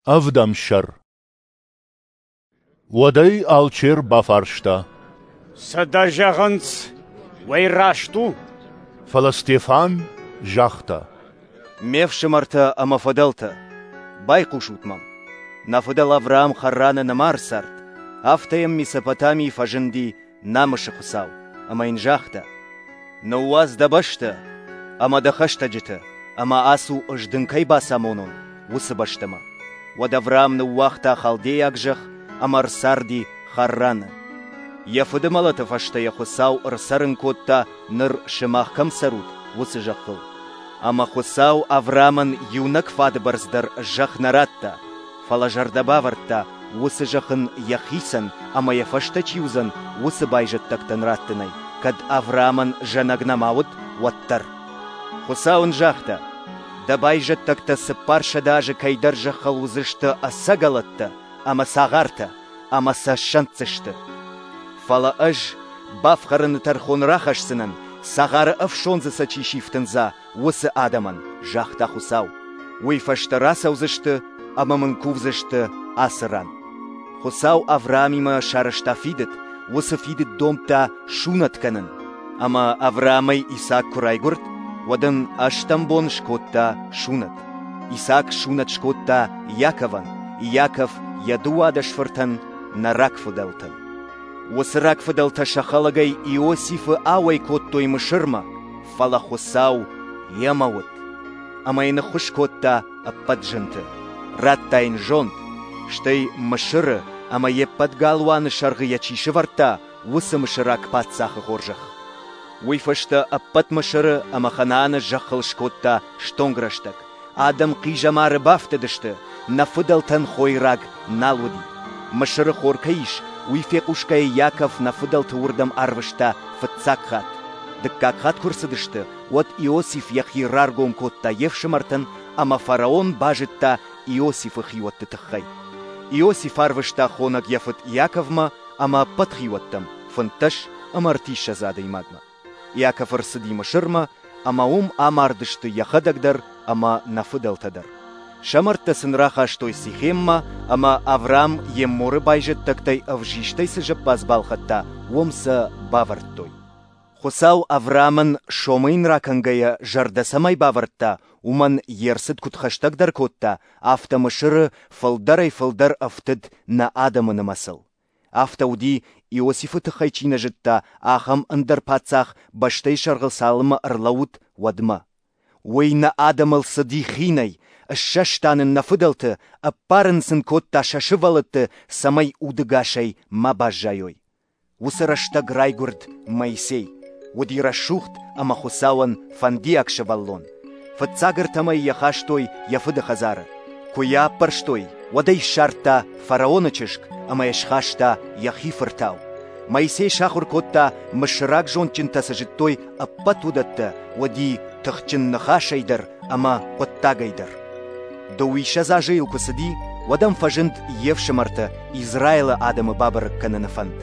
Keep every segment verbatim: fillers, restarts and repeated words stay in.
Ӕвдӕм сӕр. Уӕд ӕй алчер бафарста: Цы дӕ зӕгъынц, уый раст у? Фӕлӕ Стефан загъта: Ме фсымӕртӕ ӕмӕ фыдӕлтӕ, байхъусут мӕм. Нӕ фыдӕл Авраам Харраны нӕма ӕрцард, афтӕ йӕм Месопотамийы фӕзынди намысы Хуыцау ӕмӕ йын загъта: Ныууадз дӕ бӕстӕ ӕмӕ дӕ хӕстӕджытӕ ӕмӕ ацу, ӕз дын кӕй бацамонон, уыцы бӕстӕмӕ. Уӕд Авраам ныууагъта халдейаг зӕхх ӕмӕ ӕрцарди Харраны. Йӕ фыды мӕлӕты фӕстӕ йӕ Хуыцау ӕрцӕрын кодта, ныр сымах кӕм цӕрут, уыцы зӕххыл. Ӕмӕ Хуыцау Авраамӕн иунӕг фады бӕрц дӕр зӕхх нӕ радта, фӕлӕ зӕрдӕ бавӕрдта, уыцы зӕхх ын йӕхицӕн ӕмӕ йӕ фӕстӕ чи уыдзӕн, уыцы байзӕддӕгтӕн раттынӕй, кӕд Авраамӕн зӕнӕг нӕма уыд, уӕддӕр. Хуыцау ын загъта: Дӕ байзӕддӕгтӕ цыппарсӕдӕ азы кӕйдӕр зӕххыл уыдзысты ӕцӕгӕлӕттӕ ӕмӕ цагъартӕ, ӕмӕ сӕ ссӕнддзысты. Фӕлӕ ӕз бафхӕрыны тӕрхон рахӕсдзынӕн, цагъары ӕфсондзы сӕ чи сифтындза, уыцы адӕмӕн, загъта Хуыцау. Уый фӕстӕ рацӕудзысты ӕмӕ мын кувдзысты ацы ран. Хуыцау Авраамимӕ сарӕзта фидыд, уыцы фидыд домдта сунӕт кӕнын. Ӕмӕ Авраамӕй Исаак куы райгуырд, уӕд ын ӕстӕм бон скодта сунӕт. Исаак сунӕт скодта Иаковӕн, Иаков йӕ дыууадӕс фыртӕн, нӕ рагфыдӕлтӕн. Уыцы рагфыдӕлтӕ сӕ хӕлӕгӕй Иосифы ауӕй кодтой Мысырмӕ, фӕлӕ Хуыцау йемӕ уыд. Ӕмӕ йын ӕххуыс кодта ӕппӕт зынты. Радта йын зонд, стӕй Мысыры ӕмӕ йе ппӕт галуаны сӕргъы йӕ чи сӕвӕрдта, уыцы мысыраг паддзахы хорзӕх. Уый фӕстӕ ӕппӕт Мысыры ӕмӕ Ханааны зӕххыл скодта стонг рӕстӕг. Адӕм хъизӕмары бафтыдысты, нӕ фыдӕлтӕн хойраг нал уыди. Мысыры хор кӕй ис, уый фехъусгӕйӕ Иаков нӕ фыдӕлты уырдӕм арвыста фыццаг хатт. Дыккаг хатт куы рцыдысты, уӕд Иосиф йӕхи раргом кодта йе фсымӕртӕн, ӕмӕ фараон базыдта Иосифы хиуӕтты тыххӕй. Иосиф арвыста хонӕг йӕ фыд Иаковмӕ ӕмӕ ӕппӕт хиуӕттӕм, фынддӕс ӕмӕ ӕртиссӕдз адӕймагмӕ. Иаков ӕрцыди Мысырмӕ, ӕмӕ уым амардысты йӕхӕдӕг дӕр ӕмӕ нӕ фыдӕлтӕ дӕр. Сӕ мӕрдтӕ сын рахастой Сихеммӕ, ӕмӕ Авраам Емморы байзӕддӕгтӕй ӕвзистӕй цы зӕппадз балхӕдта, уым сӕ бавӕрдтой. Хуыцау Авраамӕн сомы йын ракӕнгӕйӕ зӕрдӕ цӕмӕй бавӕрдта, уымӕн йе рцыд куыд хӕстӕгдӕр кодта, афтӕ Мысыры фылдӕрӕй-фылдӕр ӕфтыд нӕ адӕмы нымӕцыл. Афтӕ уыди, Иосифы тыххӕй чи нӕ зыдта, ахӕм ӕндӕр паддзах бӕстӕйы сӕргъыл цалынмӕ ӕрлӕууыд, уӕдмӕ. Уый нӕ адӕмыл цыди хинӕй, ссӕста нын нӕ фыдӕлты, ӕппарын сын кодта сӕ сывӕллӕтты, цӕмӕй удӕгасӕй ма баззайой. Уыцы рӕстӕг райгуырд Моисей. Уыди рӕсугъд ӕмӕ Хуыцауӕн фӕндиаг сывӕллон. Фыццаг ӕртӕмӕй йӕ хастой йӕ фыды хӕдзары. Куы йӕ аппӕрстой, уӕд ӕй ссардта фараоны чызг ӕмӕ йӕ схаста йӕхи фыртау. Моисей сахуыр кодта, мысыраг зондджынтӕ цы зыдтой, ӕппӕт уыдӕттӕ, уыди тыхджын ныхасӕй дӕр ӕмӕ хъуыддагӕй дӕр. Дыууиссӕдз азы йыл куы цыди, уӕд ӕм фӕзынд йе фсымӕртӕ Израилы адӕмы бабӕрӕг кӕныны фӕнд.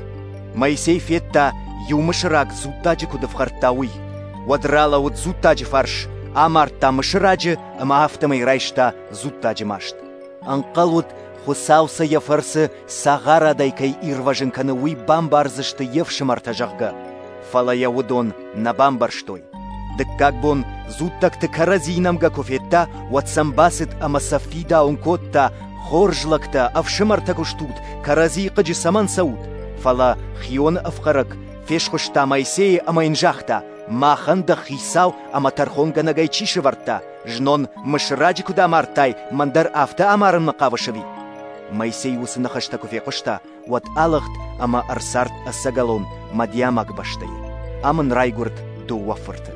Моисей федта, иу мысыраг дзуттаджы куыд ӕфхӕрдта, уый. Уӕд ралӕууыд дзуттаджы фарс, амардта мысыраджы ӕмӕ афтӕмӕй райста дзуттаджы маст. Ӕнхъӕл уыд, Хуыцау сӕ йӕ фӕрцы цагъарадӕй кӕй ирвӕзын кӕны, уый бамбардзысты йе фсымӕртӕ, зӕгъгӕ. Фӕлӕ йӕ уыдон нӕ бамбӕрстой. Дыккаг бон дзуттӕгты кӕрӕдзийы нӕмгӕ куы федта, уӕд сӕм бацыд ӕмӕ сӕ фидауын кодта: Хорз лӕгтӕ, ӕфсымӕртӕ куы стут, кӕрӕдзийы хъыджы цӕмӕн цӕут? Фӕлӕ хионы ӕфхӕрӕг фесхуыста Моисейы ӕмӕ йын загъта: Махӕн дӕ хицау ӕмӕ тӕрхонгӕнӕгӕй чи сӕвӕрдта? Знон мысыраджы куыд амардтай, мӕн дӕр афтӕ амарынмӕ хъавыс ӕви? Моисей уыцы ныхӕстӕ куы фехъуыста, уӕд алыгъд ӕмӕ ӕрцард ӕцӕгӕлон Мадиамаг бӕстӕйы. Ам ын райгуырд дыууӕ фырты.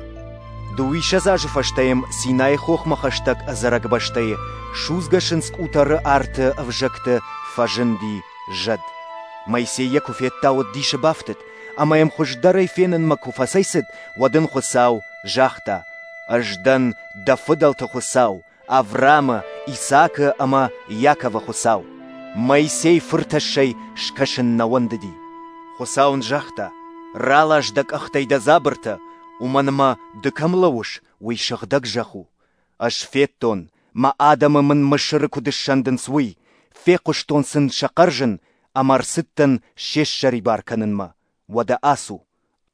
Дыууиссӕдз азы фӕстӕ йӕм Синайы хохмӕ хӕстӕг ӕдзӕрӕг бӕстӕйы судзгӕ сындз къутӕры арты ӕвзӕгты фӕзынди зӕд. Моисей йӕ куы федта, уӕд дисы бафтыд, ӕмӕ йӕм хуыздӕрӕй фенынмӕ куы фӕцӕйцыд, уӕд ын Хуыцау загъта: Ӕз дӕн дӕ фыдӕлты Хуыцау, Авраамы, Исаакы ӕмӕ Иаковы Хуыцау. Моисей фыртӕссӕй скӕсын нӕ уӕндыди. Хуыцау ын загъта: Ралас дӕ къӕхтӕй дӕ дзабыртӕ, уымӕн ӕмӕ ды кӕм лӕууыс, уый сыгъдӕг зӕхх у. Ӕз федтон, Мӕ адӕмы Мын Мысыры куыд ссӕндынц, уый, фехъуыстон сын сӕ хъӕрзын ӕмӕ ӕрцыдтӕн се ссӕрибар кӕнынмӕ. Уӕдӕ ацу,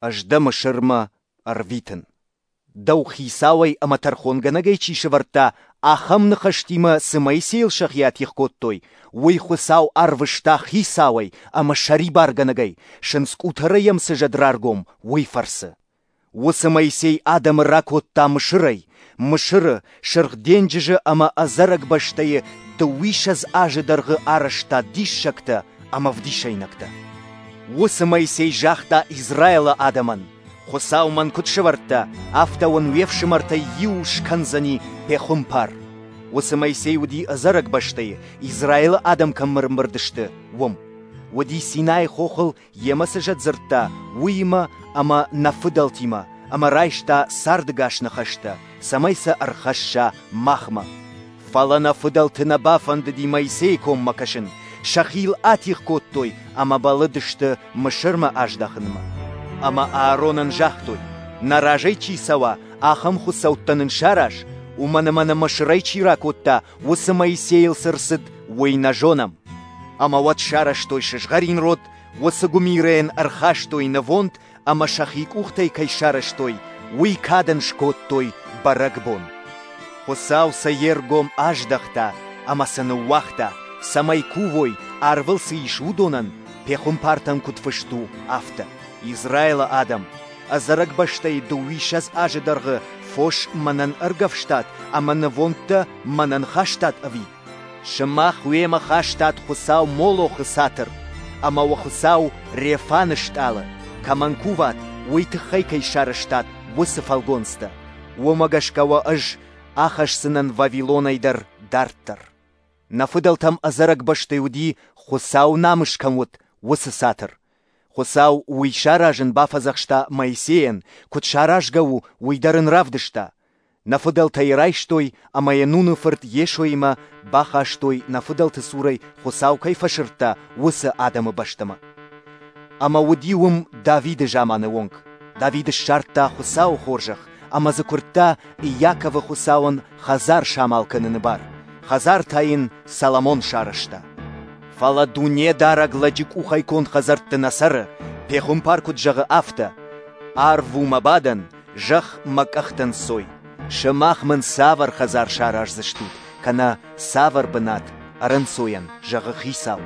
Ӕз дӕ Мысырмӕ ӕрвитын. Дӕу хицауӕй ӕмӕ тӕрхонгӕнӕгӕй чи сӕвӕрдта, ахӕм ныхӕстимӕ цы Моисейыл сӕхи атигъ кодтой, уый Хуыцау арвыста хицауӕй ӕмӕ сӕрибаргӕнӕгӕй, сындзкъутӕрӕй йӕм цы зӕд раргом, уый фӕрцы. Уыцы Моисей адӕмы ракодта Мысырӕй, Мысыры, Сырх денджызы ӕмӕ ӕдзӕрӕг бӕстӕйы дыууиссӕдз азы дӕргъы арӕзта диссӕгтӕ ӕмӕ ӕвдисӕйнӕгтӕ. Уыцы Моисей загъта Израилы адӕмӕн: Хуыцау мӕн куыд сӕвӕрдта, афтӕ уын уе фсымӕртӕй иу скӕндзӕни пехуымпар. Уыцы Моисей уыди ӕдзӕрӕг бӕстӕйы, Израилы адӕм кӕм ӕрӕмбырд сты, уым. Уыди Синайы хохыл, йемӕ цы зӕд дзырдта, уыимӕ ӕмӕ нӕ фыдӕлтимӕ, ӕмӕ райста цардӕгас ныхӕстӕ, цӕмӕй сӕ ӕрхӕсса махмӕ. Фӕлӕ нӕ фыдӕлты нӕ бафӕндыди Моисейы коммӕ кӕсын, сӕхи йыл атигъ кодтой ӕмӕ бӕллыдысты Мысырмӕ аздӕхынмӕ. Ӕмӕ Ааронӕн загътой: нӕ разӕй чи цӕуа, ахӕм хуыцӕуттӕ нын сараз, уымӕн ӕмӕ нӕ Мысырӕй чи ракодта, уыцы Моисейыл цы рцыд, уый нӕ зонӕм. Ӕмӕ уӕд сарӕзтой сызгъӕрин род, уыцы гуымирӕйӕн ӕрхастой нывонд ӕмӕ сӕхи къухтӕй кӕй сарӕзтой, уый кадӕн скодтой бӕрӕгбон. Хуыцау сӕ йе ргом аздӕхта ӕмӕ сӕ ныууагъта, цӕмӕй кувой, арвыл цы ис, уыдонӕн, пехуымпартӕн куыд фыст у, афтӕ. Израилы адӕм, ӕдзӕрӕг бӕстӕйы дыууиссӕдз азы дӕргъы фос мӕнӕн ӕргӕвстат ӕмӕ нывондтӕ мӕнӕн хастат ӕви? Сымах уемӕ хастат хуыцау Молохы цатыр ӕмӕ уӕ хуыцау Рефаны стъалы, кӕмӕн куват, уый тыххӕй кӕй сарӕзтат, уыцы фӕлгонцтӕ. Уымӕ гӕсгӕ уӕ ӕз ахӕсдзынӕн Вавилонӕй дӕр дарддӕр. Нӕ фыдӕлтӕм ӕдзӕрӕг бӕстӕйы уыди, Хуыцауы намыс кӕм уыд, уыцы цатыр. Хуыцау уый саразын бафӕдзӕхста Моисейӕн, куыд саразгӕ у, уый дӕр ын равдыста. Нӕ фыдӕлтӕ йӕ райстой ӕмӕ йӕ Нуны фырт Йесоимӕ бахастой, нӕ фыдӕлты цурӕй Хуыцау кӕй фӕсырдта, уыцы адӕмы бӕстӕмӕ. Ӕмӕ уыди уым Давиды заманы онг. Давид ссардта Хуыцауы хорзӕх ӕмӕ дзы куырдта Иаковы Хуыцауӕн хӕдзар самал кӕныны бар. Хӕдзар та йын Соломон сарӕзта. Фӕлӕ Дунедарӕг лӕджы къухӕй конд хӕдзӕртты нӕ цӕры, пехуымпар куыд зӕгъы, афтӕ: Арв у мӕ бадӕн, зӕхх мӕ къӕхтӕн сой. Сымах мын цавӕр хӕдзар сараздзыстут, кӕнӕ цавӕр бынат ӕрӕнцойӕн, зӕгъы Хицау.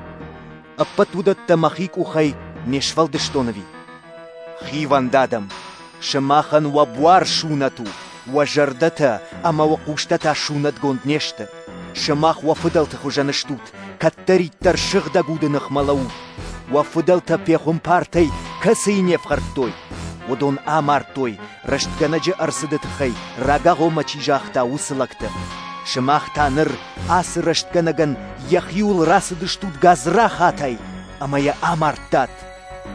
Ӕппӕт уыдӕттӕ мӕхи къухӕй не сфӕлдыстон ӕви? Хивӕнд адӕм, сымахӕн уӕ буар сунӕт у, уӕ зӕрдӕтӕ ӕмӕ уӕ хъустӕ та сунӕтгонд не сты. Сымах уӕ фыдӕлты хуызӕн стут, кӕддӕриддӕр сыгъдӕг уды ныхмӕ лӕуут. Уӕ фыдӕлтӕ пехуымпартӕй кӕцыйы не фхӕрдтой, уыдон амардтой, рӕстгӕнӕджы ӕрцыды тыххӕй рагагъоммӕ чи загъта, уыцы лӕгты. Сымах та ныр ацы рӕстгӕнӕгӕн йӕхиуыл рацыдыстут гадзрахатӕй ӕмӕ йӕ амардтат.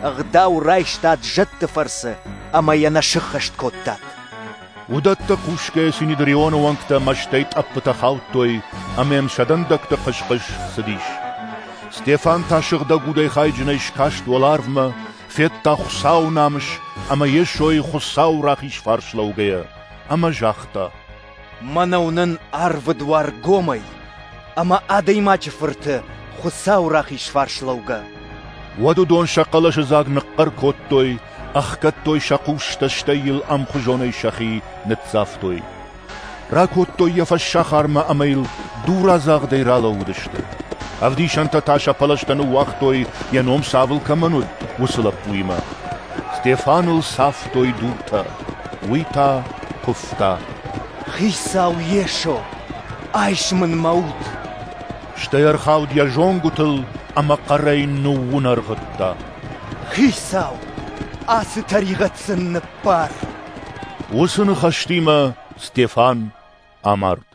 Ӕгъдау райстат зӕдты фӕрцы ӕмӕ йӕ нӕ сыххӕст кодтат. Уыдӕттӕ хъусгӕйӕ Синедрионы уӕнгтӕ мӕстӕй тъӕппытӕ хаудтой ӕмӕ йӕм сӕ дӕндӕгты хъыс-хъыс цыдис. Стефан та сыгъдӕг удӕй хайджынӕй скаст уӕларвмӕ, федта Хуыцауы намыс ӕмӕ Йесойы Хуыцауы рахиз фарс лӕугӕйӕ, ӕмӕ загъта: Мӕнӕ уынын арвы дуар гомӕй ӕмӕ Адӕймаджы Фырты Хуыцауы рахиз фарс лӕугӕ. Уӕд уыдон сӕ хъӕлӕсыдзаг ныхъхъӕр кодтой, ӕхгӕдтой сӕ хъустӕ, стӕй йыл ӕмхуызонӕй сӕхи ныццавтой. Ракодтой йӕ фӕссахармӕ ӕмӕ йыл дурадзагъдӕй ралӕууыдысты. Ӕвдисӕнтӕ та сӕ пӕлӕзтӕ ныууагътой, йӕ ном Савл кӕмӕн уыд, уыцы лӕппуимӕ. Стефаныл цавтой дуртӕ, уый та куывта: Хицау Йесо, айс мын мӕ уд! Стӕй ӕрхауд йӕ зонгуытыл ӕмӕ хъӕрӕй ныууынӕргъыдта: Хицау, ацы тӕригъӕд сын ныббар! Уыцы ныхӕстимӕ Стефан амард.